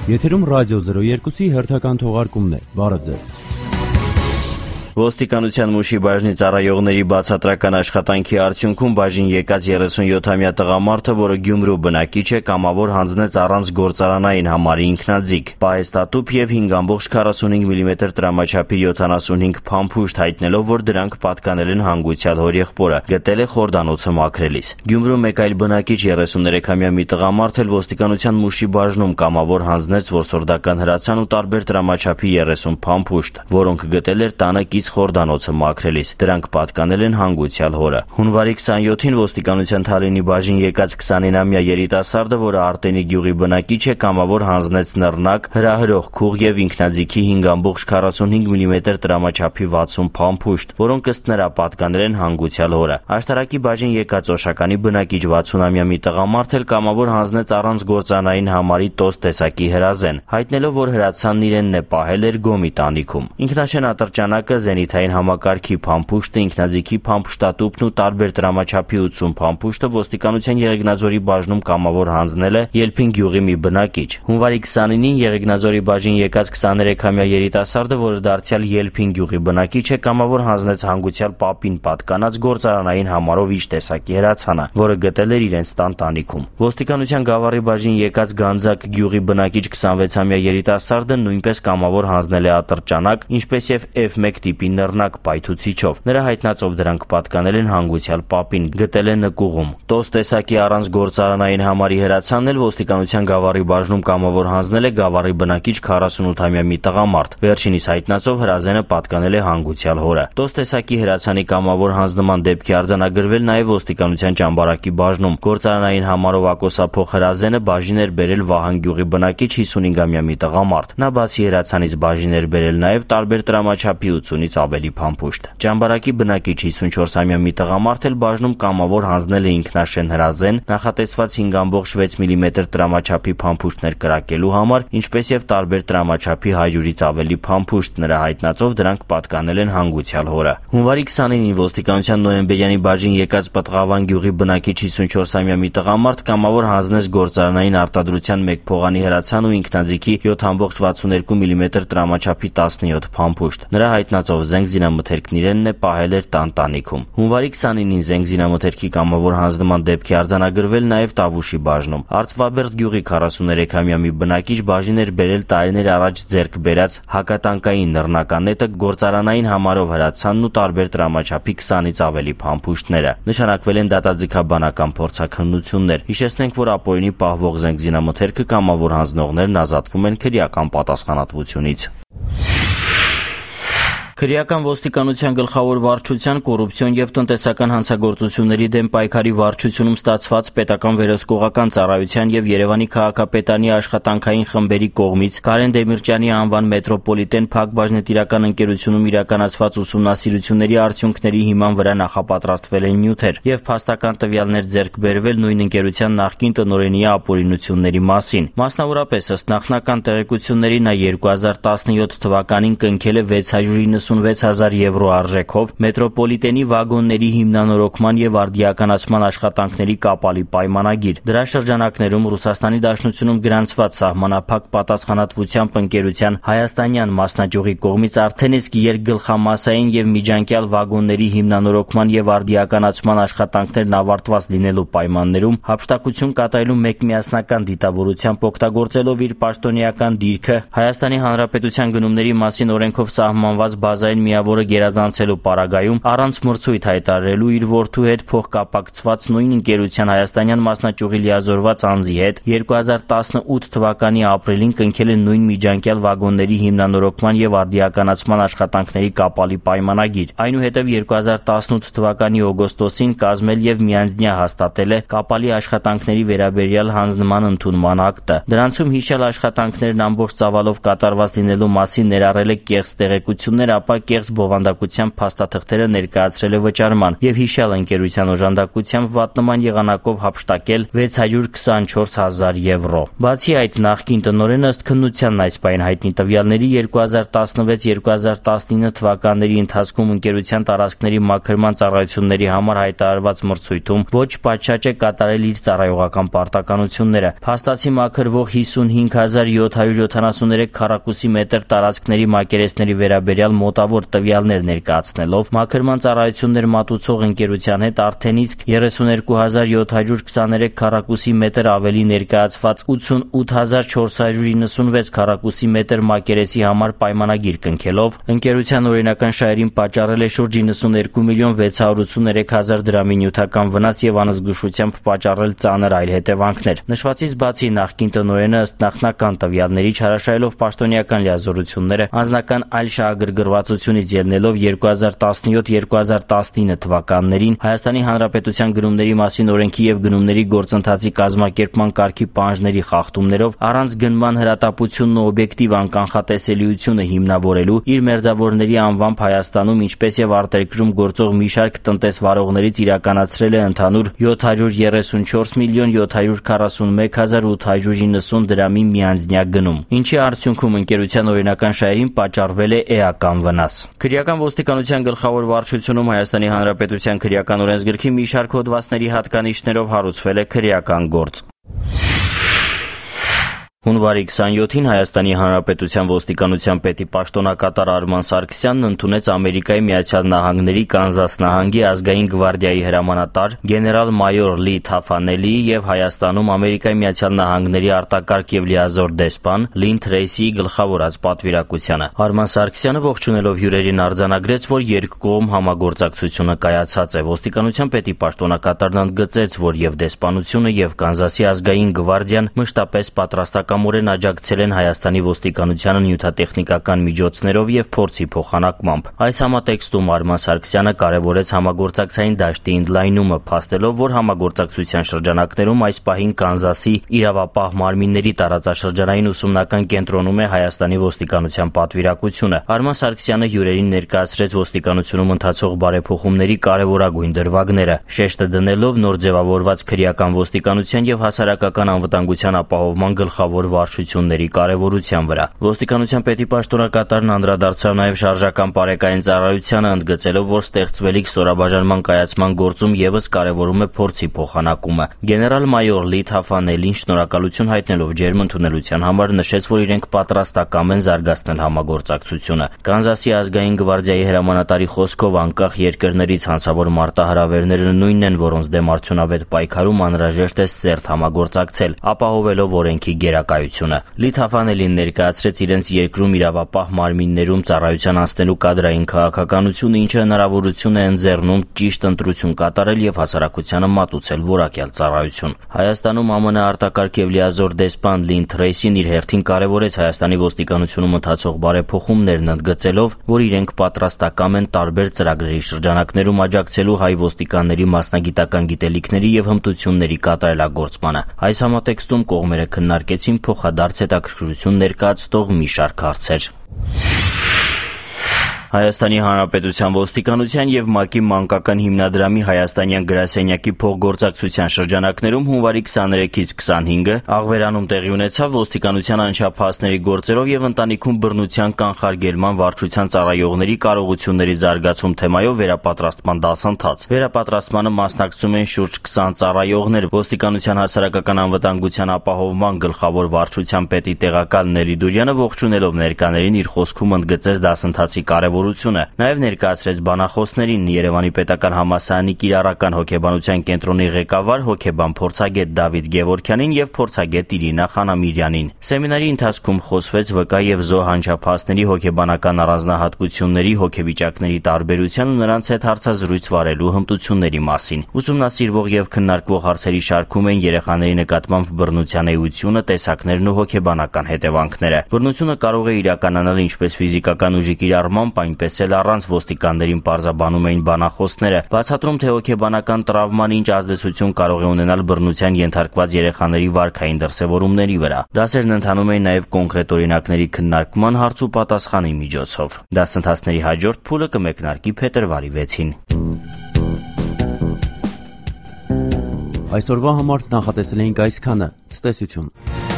Եթերում ռադիո 02-ի հերթական թողարկումն է։ Բարև ձեզ։ Ոստիկանության Մուշի բաժնի ծառայողների բացատրական աշխատանքի արդյունքում բաժին եկած 37-ամյա տղամարդը, որը Գյումրու բնակիչ է, կամավոր հանձնեց առանց գործարանային համարի ինքնաձիգ, պահեստատուփ եւ 5.45 մմ տրամաչափի 75 փամփուշտ, հայտնելով, որ դրանք պատկանել են հանգուցյալ հորեղբորը, գտել է խորդանոցը մաքրելիս։ Գյումրու մեկ այլ բնակիչ 33-ամյա մի տղամարդ էլ ոստիկանության Մուշի բաժնում կամավոր հանձնեց որսորդական հրացան ու տարբեր տրամաչափի 30 փամփուշտ, որոնք գտել էր տանը խորդանոցը մաքրելիս, դրանք պատկանել են հանգուցյալ հորը։ Հունվարի 27-ին ոստիկանության Թալինի բաժին եկած 29-ամյա երիտասարդը, որը Արտենի գյուղի բնակիչ է, կամավոր հանձնեց նռնակ, հրահրող քուղ եւ ինքնաձիգի 5.45 մմ տրամաչափի 60 փամփուշտ, որոնք ըստ նրա պատկանել են հանգուցյալ հորը։ Աշտարակի բաժին եկած Օշականի բնակիչ 60-ամյա մի տղամարդ էլ կամավոր հանձնեց առանց գործանային համարի տոս տեսակի հրազեն, հայտնելով, որ հրացանն իրենն է պահել էր Գոմի տանիքում։ Ինքնաշեն ատրճանակը, զենիթային համակարգի փամփուշտը, ինքնաձիգի փամփուշտատուփն ու տարբեր տրամաչափի 80 փամփուշտը ոստիկանության Եղեգնաձորի բաժնում կամավոր հանձնել է Ելփին գյուղի մի բնակիչ։ Հունվարի 29-ին Եղեգնաձորի բաժին եկած 23-ամյա երիտասարդը, որը դարձյալ Ելփին գյուղի բնակիչ է, կամավոր հանձնեց հանգուցյալ պապին պատկանած գործարանային համարով իջ տեսակի հրացանը, որը գտել էր իրենց տան տանիքում։ Ոստիկանության Գավառի բաժին եկած Գանձակ գյուղի բնակիչ 26-ամյա երիտասարդը նույնպես կամավոր հանձնել է ատրճանակ, ինչպես եւ F1 տիպի նռնակ պայթուցիչով։ Նրա հայտնածով դրանք պատկանել են հանգուցյալ պապին, գտել է նկուղում։ Տոս տեսակի առանց գործարանային համարի հրացանն էլ ոստիկանության Գավառի բաժնում կամավոր հանձնել է Գավառի բնակիչ 48-ամյա մի տղամարդ։ Վերջինիս հայտնածով հրազենը պատկանել է հանգուցյալ հորը։ Տոս տեսակի հրացանի կամավոր հանձնման դեպքի արձանագրվել նաև ոստիկանության Ճամբարակի բաժնում։ Գործարանային համարով ակոսափող հրազենը բաժին էր բերել Վահան գյուղի բնակիչ 55-ամյա մի տղամարդ։ Նա բացի հրացանից բաժին էր բերել նաև տարբեր տրամաչափի 80-ից ավելի փամփուշտ։ Ճամբարակի բնակիչ 54-ամյա մի տղամարդ էլ բաժնում կամավոր հանձնել է ինքնաշեն հրազեն, նախատեսված 5.6 մմ տրամաչափի փամփուշտներ կրակելու համար, ինչպես եւ տարբեր տրամաչափի 100-ից ավելի փամփուշտ, նրա հայտնածով դրանք պատկանել են հանգուցյալ հորը։ Հունվարի 29-ին ոստիկանության Նոյեմբերյանի բաժին եկած Պտղավան գյուղի բնակիչ 54-ամյա մի տղամարդ կամավոր հանձնեց գործարանային արտադրության 1 փողանի հրացան ու ինքնաձիգի 7.62 մմ տրամաչափի 17 փամփուշտ։ Նրա հայտնածով զենք զինամթերքն իրենն է պահել էր տան տանիքում։ Հունվարի 29-ին զենք զինամթերքի կամավոր հանձնման դեպքի արձանագրվել նաև Տավուշի բաժնում։ Արծվաբերդ գյուղի 43-ամյա մի բնակիչ բաժին էր բերել տարիներ առաջ ձեռք բերած հակատանկային նռնականետը, գործարանային համարով հրացանն ու տարբեր տրամաչափի 20-ից ավելի փամփուշտները։ Նշանակվել են դատաձգաբանական փորձաքննություններ։ Հիշեցնենք, որ ապօրինի պահվող զենք զինամթերքը կամավոր հանձնողներն ազատվում են քրեական պատասխանատվությունից։ Քրեական ոստիկանության գլխավոր վարչության կոռուպցիոն եւ տնտեսական հանցագործությունների դեմ պայքարի վարչությունում ստացված պետական վերահսկողական ծառայության եւ Երևանի քաղաքապետարանի աշխատանքային խմբերի կողմից Կարեն Դեմիրճյանի անվան մետրոպոլիտեն Փակ բաժնետիրական ընկերությունում իրականացված ուսումնասիրությունների արդյունքների հիման վրա նախապատրաստվել են նյութեր եւ փաստական տվյալներ ձեռք բերվել նույն ընկերության նախկին տնօրենի ապօրինությունների մասին։ Մասնավորապես, ըստ նախնական տեղեկությունների, նա 2017 թվականին կնքել է 696,000 եվրո արժեքով մետրոպոլիտենի վագոնների հիմնանորոգման եւ արդիականացման աշխատանքների կապալի պայմանագիր։ Դրա շրջանակներում Ռուսաստանի Դաշնությունում գրանցված սահմանափակ պատասխանատվությամբ ընկերության հայաստանյան մասնաճյուղի կողմից արդեն իսկ երկգլխամասային եւ միջանկյալ վագոնների հիմնանորոգման եւ արդիականացման աշխատանքներն ավարտված լինելու պայմաններում հափշտակություն կատարելու մեկմիասնական դիտավորությամբ օգտագործելով իր պաշտոնեական դիրքը Հայաստանի Հանրապետության գնումների մասին օրենքով սահմանված բազային միավորը գերազանցելու պարագայում առանց մրցույթ հայտարարելու իր որդու հետ փոխկապակցված նույն ընկերության հայաստանյան մասնաճյուղի լիազորված անձի հետ 2018 թվականի ապրիլին կնքել է նույն միջանկյալ վագոնների հիմնանորոգման եւ արդիականացման աշխատանքների կապալի պայմանագիր։ Այնուհետև 2018 թվականի օգոստոսին կազմել եւ միանձնյա հաստատել է կապալի աշխատանքների վերաբերյալ հանձնման ընդունման ակտը։ Դրանցում հիշյալ աշխատանքներն ամբողջ ծավալով կատարված լինելու մասին ներառել է կեղծ տեղեկություններ ապա կեղծ բովանդակությամբ փաստաթղթերը ներկայացրել է վճարման եւ հիշյալ ընկերության օժանդակությամբ վատնման եղանակով հափշտակել 624,000 եվրո։ Բացի այդ, նախկին տնօրենը ըստ քննությանն այս պահին հայտնի տվյալների 2016-2019 թվականների ընթացքում ընկերության տարածքների մաքրման ծառայությունների համար հայտարարված մրցույթում ոչ պատշաճ է կատարել իր ծառայողական պարտականությունները։ Փաստացի մաքրվող 55,773 քառակուսի մետր տարածքների մակերեսների վերաբերյալ մոտավոր տվյալներ ներկայացնելով մաքրման ծառայություններ մատուցող ընկերության հետ արդեն իսկ 32,723 քառակուսի մետր ավելի ներկայացված 88,496 քառակուսի մետր մակերեսի համար պայմանագիր կնքելով ընկերության օրինական շահերին պատճառել է շուրջ 92,683,000 դրամի նյութական վնաս եւ անզգուշությամբ պատճառել ծանր այլ հետևանքներ։ Նշվածից բացի նախկին տնօրենը ըստ նախնական տվյալների չարաշահելով պաշտոնեական լիազորությունները անձնական այլ շահագրգռվածությունից ելնելով 2017-2019 թվականներին Հայաստանի Հանրապետության գնումների մասին օրենքի եւ գնումների գործընթացի կազմակերպման կարգի պահանջների խախտումներով առանց գնման հրատապությունն ու օբյեկտիվ անկանխատեսելիությունը հիմնավորելու իր մերձավորների անվամբ Հայաստանում ինչպես եւ արտերկրում գործող մի շարք տնտեսվարողներից իրականացրել է ընդհանուր 734,741,890 դրամի միանձնյա գնում, ինչի արդյունքում ընկերության օրինական շահերին պատճառվել է էական վնաս։ Քրեական ոստիկանության գլխավոր վարչությունում Հայաստանի Հանրապետության քրեական օրենսգրքի մի շարք հոդվածների հատկանիշներով հարուցվել է քրեական գործ։ Հունվարի 27-ին Հայաստանի Հանրապետության ոստիկանության պետի պաշտոնակատար Արման Սարգսյանն ընդունեց Ամերիկայի Միացյալ Նահանգների Կանզաս նահանգի ազգային գվարդիայի հրամանատար գեներալ-մայոր Լի Թաֆանելիի եւ Հայաստանում Ամերիկայի Միացյալ Նահանգների արտակարգ եւ լիազոր դեսպան Լին Թրեյսիի գլխավորած պատվիրակությանը։ Արման Սարգսյանը ողջունելով հյուրերին արձանագրեց, որ երկկողմ համագործակցությունը կայացած է։ Ոստիկանության պետի պաշտոնակատարն ընդգծեց, որ եւ դեսպանությունը եւ Կանզասի ազգային գվարդիան մշտապես պատրաստական կամորեն աջակցել են Հայաստանի ոստիկանությանը նյութատեխնիկական միջոցներով եւ փորձի փոխանակմամբ։ Այս համատեքստում Արման Սարգսյանը կարևորեց համագործակցային դաշտի ընդլայնումը, փաստելով, որ համագործակցության շրջանակներում այս պահին Կանզասի իրավապահ մարմինների տարածաշրջանային ուսումնական կենտրոնում է Հայաստանի ոստիկանության պատվիրակությունը։ Արման Սարգսյանը հյուրերին ներկայացրեց ոստիկանությունում ընթացող բարեփոխումների կարևորագույն դրվագները, շեշտը դնելով նոր ձևավորված քրեական ոստիկանության եւ հասարակական անվտանգության ապահովման գլխավոր վարչությունների կարևորության վրա։ Ոստիկանության պետի պաշտոնակատարն անդրադարձավ նաև շարժական բարեկային ծառայությանը, ընդգծելով, որ ստեղծվելիք ստորաբաժանման կայացման գործում եւս կարևորում է փորձի փոխանակումը։ Գեներալ-մայոր Լի Թաֆանելին շնորհակալություն հայտնելով ջերմ ընդունելության համար նշեց, որ իրենք պատրաստակամ են զարգացնել համագործակցությունը։ Կանզասի ազգային գվարդիայի հրամանատարի խոսքով անկախ երկրներից հանցավոր մարտահրավերները նույնն են, որոնց դեմ արդյունավետ պայքարում անհրաժեշտ է սերտ համագործակցել, ապահովելով օրենքի գերակայությունը։ Լի Թաֆանելին ներկայացրեց իրենց երկրում իրավապահ մարմիններում ծառայության անցնելու կադրային քաղաքականությունը, ինչը հնարավորություն է ընձեռնում ճիշտ ընտրություն կատարել եւ հասարակությանը մատուցել որակյալ ծառայություն։ Հայաստանում ԱՄՆ արտակարգ եւ լիազոր դեսպան Լին Թրեյսին իր հերթին կարևորեց Հայաստանի ոստիկանությունում ընթացող բարեփոխումներն, ընդգծելով, որ իրենք պատրաստակամ են տարբեր ծրագրերի շրջանակներում աջակցելու հայ ոստիկանների մասնագիտական գիտելիքների եւ հմտությունների կատարելագործմանը։ Այս համատեքստում կողմերը քննարկեցին փոխադարձ հետաքրքրություն ներկայացնող մի շարք հարցեր։ Հայաստանի Հանրապետության ոստիկանության եւ ՄԱԿ-ի մանկական հիմնադրամի հայաստանյան գրասենյակի փոխգործակցության շրջանակներում հունվարի 23-ից 25-ը Աղվերանում տեղի ունեցավ ոստիկանության անչափահասների գործերով եւ ընտանիքում բռնության կանխարգելման վարչության ծառայողների կարողությունների զարգացում թեմայով վերապատրաստման դասընթաց։ Վերապատրաստմանը մասնակցում են շուրջ 20 ծառայողներ։ Ոստիկանության հասարակական անվտանգության ապահովման գլխավոր վարչության պետի տեղակալ Նելի Դուրյանը ողջունելով ներկաներին իր խոսքում ընդգծեց դասընթացի կարևորությունը։ Նաև ներկայացրեց բանախոսներին Երևանի պետական համալսարանի կիրառական հոգեբանության կենտրոնի ղեկավար հոգեբան փորձագետ Դավիթ Գևորգյանին եւ փորձագետ Իրինա Խանամիրյանին։ Սեմինարի ընթացքում խոսվեց ՎԿ եւ ԶՈ հանճափահասների հոգեբանական առանձնահատկությունների, հոգեվիճակների տարբերության ու նրանց հետ հարցազրույց վարելու հմտությունների մասին։ Ուսումնասիրվող եւ քննարկվող հարցերի շարքում են երեխաների նկատմամբ բռնության էությունը, տեսակներն ու հոգեբանական հետևանքները։ Բռնությունը կարող է իրականանալ ինչպես ֆիզիկական ուժի կիրառմամբ, այնպես էլ առանց ոստիկաններին պարզաբանում էին բանախոսները, բացատրում, թե հոգեբանական տրավման ինչ ազդեցություն կարող է ունենալ բռնության ենթարկված երեխաների վարքային դրսևորումների վրա։ Դասերն ընթանում էին նաև կոնկրետ օրինակների քննարկման, հարց ու պատասխանի միջոցով։ Դասընթացների հաջորդ փուլը կմեկնարկի փետրվարի 6-ին։ Այսօրվա համար նախատեսել էինք այսքանը։ Ցտեսություն։